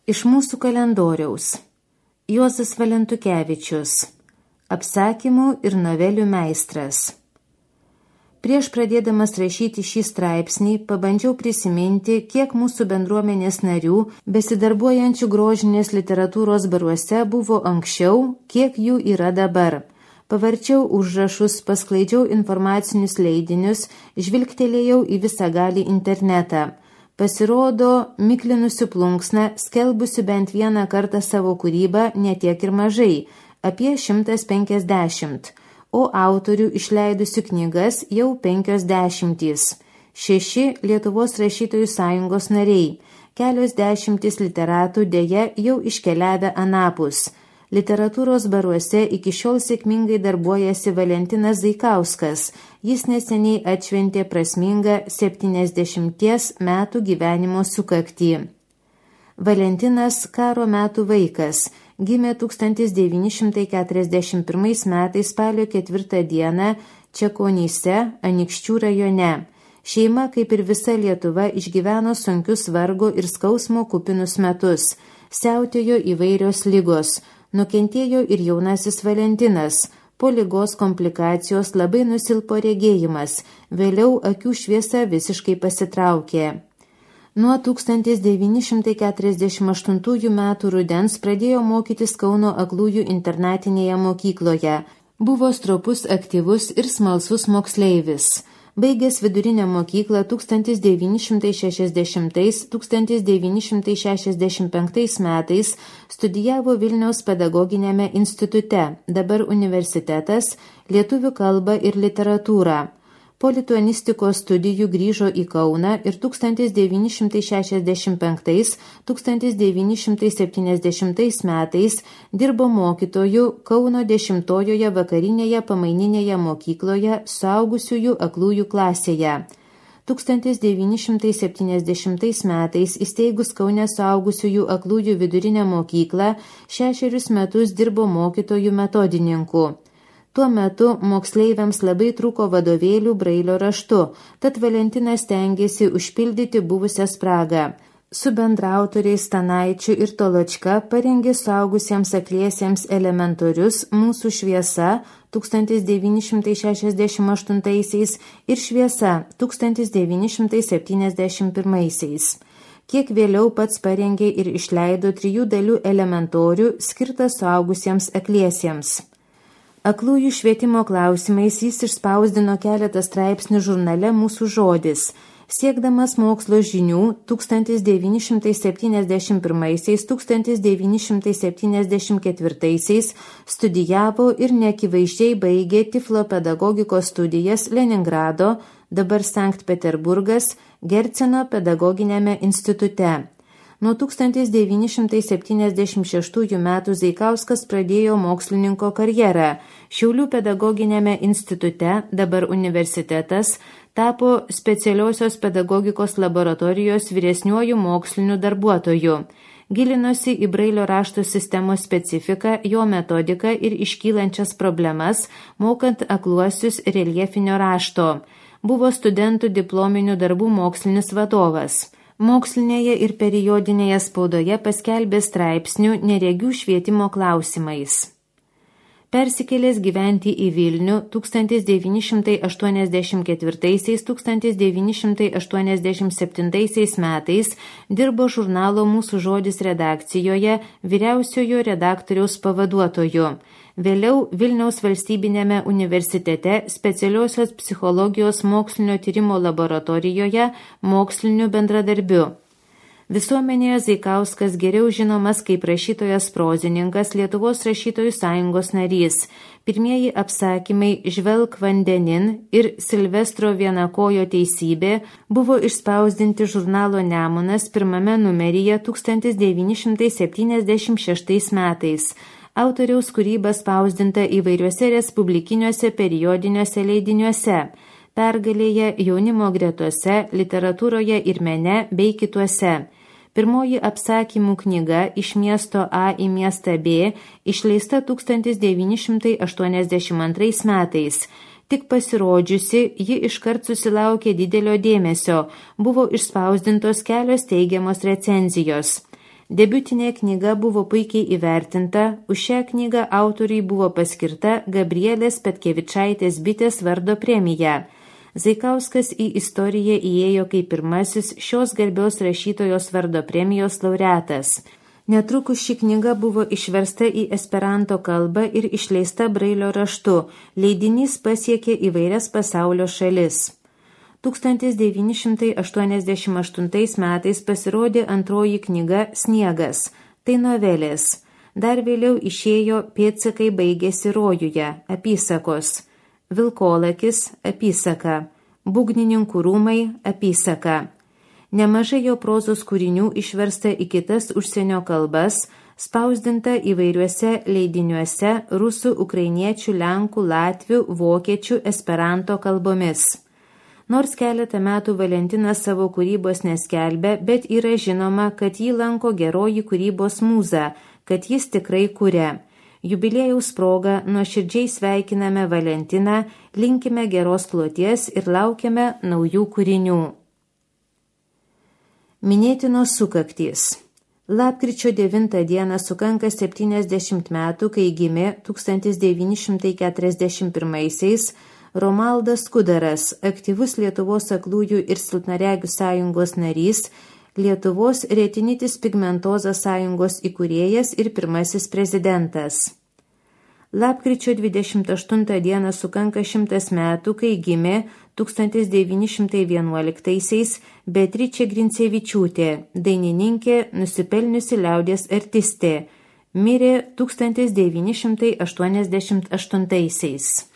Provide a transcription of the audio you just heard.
Iš mūsų kalendoriaus. Juozas Valentukevičius. Apsakymų ir novelių meistras. Prieš pradėdamas rašyti šį straipsnį, pabandžiau prisiminti, kiek mūsų bendruomenės narių, besidarbuojančių grožinės literatūros baruose, buvo anksčiau, kiek jų yra dabar. Pavarčiau užrašus, pasklaidžiau informacinius leidinius, žvilgtelėjau į visagalį internetą. Pasirodo, miklinusių plunksną, skelbusių bent vieną kartą savo kūrybą, netiek ir mažai, apie 150, o autorių išleidusių knygas jau 50. 6 Lietuvos rašytojų sąjungos nariai, kelios dešimtys literatų dėja jau iškeliavę anapus. Literatūros baruose iki šiol sėkmingai darbuojasi Valentinas Zaikauskas. Jis neseniai atšventė prasmingą 70 metų gyvenimo sukaktį. Valentinas karo metų vaikas. Gimė 1941 metais spalio 4 dieną Čekonyse, Anykščių rajone. Šeima, kaip ir visa Lietuva, išgyveno sunkius vargo ir skausmo kupinus metus. Siautėjo įvairios ligos. Nukentėjo ir jaunasis Valentinas. Po ligos komplikacijos labai nusilpo regėjimas, vėliau akių šviesa visiškai pasitraukė. Nuo 1948 metų rudens pradėjo mokytis Kauno aklųjų internatinėje mokykloje. Buvo stropus, aktyvus ir smalsus moksleivis. Baigęs vidurinę mokyklą 1960–1965 metais studijavo Vilniaus pedagoginiame institute, dabar universitetas, lietuvių kalbą ir literatūrą. Po lituanistikos studijų grįžo į Kauną ir 1965–1970 metais dirbo mokytoju Kauno 10-ojoje vakarinėje pamaininėje mokykloje suaugusiųjų aklųjų klasėje. 1970 metais įsteigus Kaune suaugusiųjų aklųjų vidurinę mokyklą 6 metus dirbo mokytojų metodininku. Tuo metu moksleiviams labai trūko vadovėlių brailio raštu, tad Valentinas stengėsi užpildyti buvusią spragą. Su bendraautoriais Stanaičiu ir Toločka parengė suaugusiems akliesiems elementorius Mūsų šviesa 1968 ir Šviesa 1971. Kiek vėliau pats parengė ir išleido 3 dalių elementorių skirtą suaugusiems akliesiems. Aklųjų švietimo klausimais jis išspausdino keletą straipsnių žurnale Mūsų žodis. Siekdamas mokslo žinių 1971–1974 studijavo ir neakivaizdžiai baigė Tiflo pedagogikos studijas Leningrado, dabar Sankt Peterburgas, Gerceno pedagoginiame institute. Nuo 1976 metų Zaikauskas pradėjo mokslininko karjerą. Šiaulių pedagoginiame institute, dabar universitetas, tapo specialiosios pedagogikos laboratorijos vyresniuoju moksliniu darbuotoju. Gilinosi į brailio rašto sistemos specifiką, jo metodiką ir iškylančias problemas, mokant akluosius reljefinio rašto. Buvo studentų diplominių darbų mokslinis vadovas. Mokslinėje ir periodinėje spaudoje paskelbė straipsnių neregių švietimo klausimais. Persikėlęs gyventi į Vilnių 1984–1987 metais dirbo žurnalo Mūsų žodis redakcijoje vyriausiojo redaktoriaus pavaduotoju. Vėliau Vilniaus valstybinėme universitete specialiosios psichologijos mokslinio tyrimo laboratorijoje moksliniu bendradarbiu. Visuomenėje Zaikauskas geriau žinomas kaip rašytojas prozininkas, Lietuvos rašytojų sąjungos narys. Pirmieji apsakymai Žvelk vandenin ir Silvestro Vienakojo teisybė buvo išspausdinti žurnalo Nemunas pirmame numeryje 1976 metais. Autoriaus kūryba spausdinta įvairiuose respublikiniuose periodiniuose leidiniuose, Pergalėje, Jaunimo gretose, Literatūroje ir mene bei kituose. Pirmoji apsakymų knyga Iš miesto A į miestą B išleista 1982 metais. Tik pasirodžiusi, ji iškart susilaukė didelio dėmesio, buvo išspausdintos kelios teigiamos recenzijos. Debiutinė knyga buvo puikiai įvertinta, už šią knygą autoriai buvo paskirta Gabrielės Petkevičaitės Bitės vardo premija. Zaikauskas į istoriją įėjo kaip pirmasis šios garbios rašytojos vardo premijos laureatas. Netrukus ši knyga buvo išversta į esperanto kalbą ir išleista brailio raštu. Leidinys pasiekė įvairias pasaulio šalis. 1988 metais pasirodė antroji knyga Sniegas. Tai novelės. Dar vėliau išėjo Pėdsakai baigėsi rojuje, apysakos. Vilkolakis, apysaka. Būgnininkų rūmai, apysaka. Nemažai jo prozos kūrinių išversta į kitas užsienio kalbas, spausdinta įvairiuose leidiniuose rusų, ukrainiečių, lenkų, latvių, vokiečių, esperanto kalbomis. Nors keletą metų Valentinas savo kūrybos neskelbė, bet yra žinoma, kad jį lanko geroji kūrybos mūza, kad jis tikrai kuria. Jubiliejaus proga nuoširdžiai sveikiname Valentiną, linkime geros kloties ir laukiame naujų kūrinių. Minėtinos sukaktys. Lapkričio 9 dieną sukanka 70 metų, kai gimė 1941-aisiais Romaldas Kudaras, aktyvus Lietuvos aklųjų ir silpnaregių sąjungos narys, Lietuvos retinitis pigmentozas sąjungos įkūrėjas ir pirmasis prezidentas. Lapkričio 28 dieną sukanka 100 metų, kai gimė 1911-aisiais Beatričė Grincevičiūtė, dainininkė, nusipelniusi liaudies artistė, mirė 1988-aisiais.